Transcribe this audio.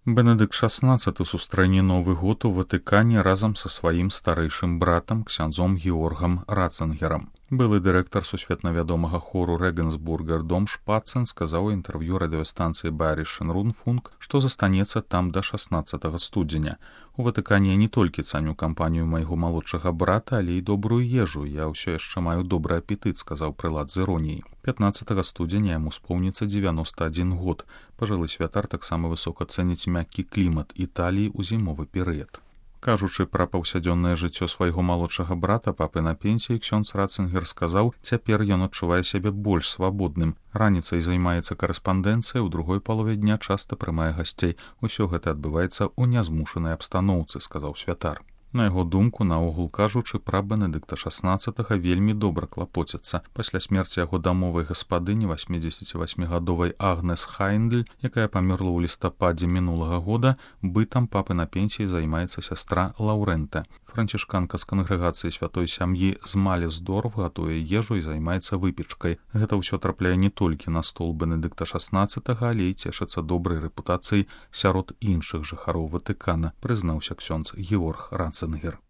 Бенедыкт XVI сустрэне Новы год у Ватыкане разам са сваім старэйшым братам, ксяндзом Георгам Ратцингерам. Былы дырэктар сусветна вядомага хору Рэгенсбургер Дом Шпацен сказаў у інтэрв'ю радыёстанцыі Байерischen Rundfunk, што застанецца там да 16 студзеня. У Ватыкане не толькі цаню кампанію майго малодшага брата, але і добрую ежу. Я ўсё яшчэ маю добры апетыт, сказаў прылад з іроніяй. 15 студзеня яму споўніцца 91 год. Пажылы святар таксама высока цэніць мяккі клімат Італіі ў зімовы перыяд. Кажучы пра паўсядзённае жыццё свайго малодшага брата, папы на пенсіі, ксёндз Ратцингер сказаў, цяпер ён адчувае сябе больш свабодным. Раніцай займаецца карэспандэнцыяй, у другой палове дня часта прымае гасцей. Усё гэта адбываецца ў нязмушанай абстаноўцы, сказаў святар. На яго думку, наогул кажучы, пра Бенедыкта XVI вельмі добра клапоцяцца. Пасля смерці яго дамовай гаспадыні 88-гадовай Агнес Хайндль, якая памерла ў лістападзе мінулага года, бытам папы на пенсіі займаецца сястра Лаўрэнта. Францішканка з кангрэгацыі святой сям'і з Малесдорф гатуе ежу і займаецца выпечкай. Гэта ўсё трапляе не толькі на стол Бенедыкта XVI, але і цешыцца добрай рэпутацыяй сярод іншых жыхароў Ватыкана, прызнаўся ксёндз Георг Ратцингер.